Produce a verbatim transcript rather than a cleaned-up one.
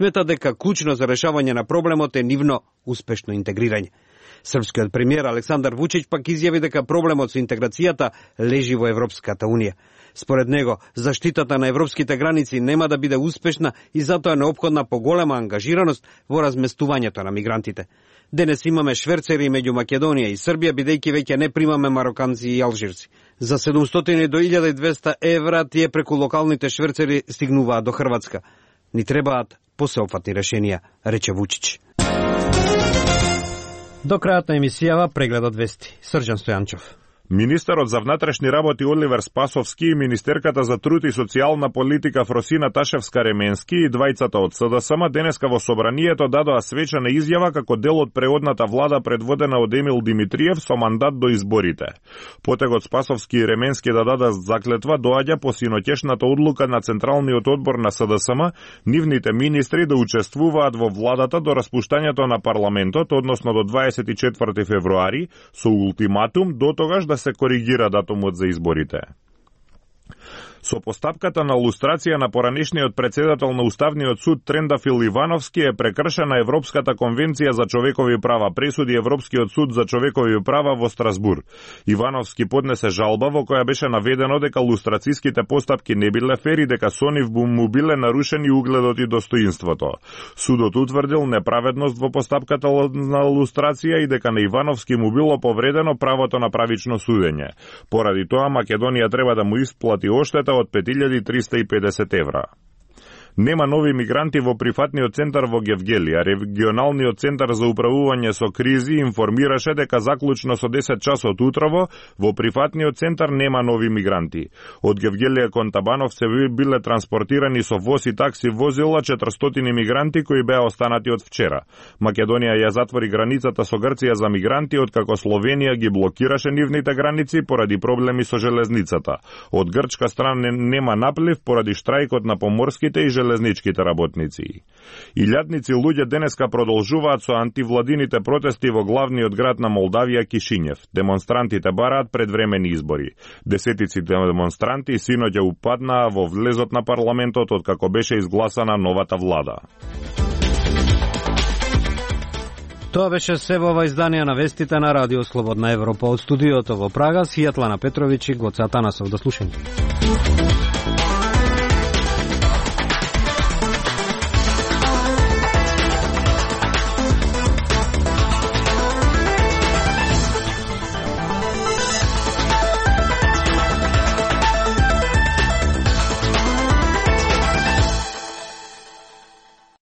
смета дека клучно за решавање на проблемот е нивно успешно интегрирање. Српскиот премиер Александар Вучич пак изјави дека проблемот со интеграцијата лежи во Европската унија. Според него, заштитата на европските граници нема да биде успешна и затоа е неопходна поголема ангажираност во разместувањето на мигрантите. Денес имаме шверцери меѓу Македонија и Србија, бидејќи веќе не примаме мароканци и алжирци. За седумстотини до илјада и двесте евра тие преку локалните шверцери стигнуваат до Хрватска. Ни требаат посеопфатни решенија, рече Вучич. До крајот на емисијава прегледот вести. Срđan Стојанчов. Министерот за внатрешни работи Оливер Спасовски и министерката за труд и социјална политика Фросина Ташевска-Ременски и двајцата од СДСМ денеска во собранието дадоа свечена изјава како дел од преодната влада предводена од Емил Димитриев со мандат до изборите. Потегот Спасовски и Ременски да дадат заклетва доаѓа по синоќешната одлука на Централниот одбор на СДСМ нивните министри да учествуваат во владата до распуштањето на парламентот, односно до дваесет и четврти февруари, со ултиматум до тогаш да се коригира датумот за изборите. Со постапката на лустрација на поранешниот председател на Уставниот суд Трендафил Ивановски е прекршена Европската конвенција за човекови права, пресуди Европскиот суд за човекови права во Страсбур. Ивановски поднесе жалба во која беше наведено дека лустрацијските постапки не биле фер и дека со нив му биле нарушени угледот и достоинството. Судот утврдил неправедност во постапката на лустрација и дека на Ивановски му било повредено правото на правично судење. Поради тоа Македонија треба да му исплати оштета од пет илјади триста и педесет евра. Нема нови мигранти во прифатниот центар во Гевгели, а регионалниот центар за управување со кризи информираше дека заклучно со десет часот утрово во прифатниот центар нема нови мигранти. Од Гевгелија кон Табановце биле транспортирани со воз и такси возила четиристотини мигранти кои беа останати од вчера. Македонија ја затвори границата со Грција за мигранти откако Словенија ги блокираше нивните граници поради проблеми со железницата. Од грчка страна нема наплив поради штрајкот на поморските и железничките работници. Илјадници луѓе денеска продолжуваат со антивладините протести во главниот град на Молдавија Кишинев. Демонстрантите бараат предвремени избори. Десетици демонстранти синоќа упаднаа во влезот на парламентот откако беше изгласана новата влада. Тоа беше се во ова издание на вестите на Радио Слободна Европа. Од студиото во Прага, Сјетлана Петрович и Гоце Атанасов. До слушање.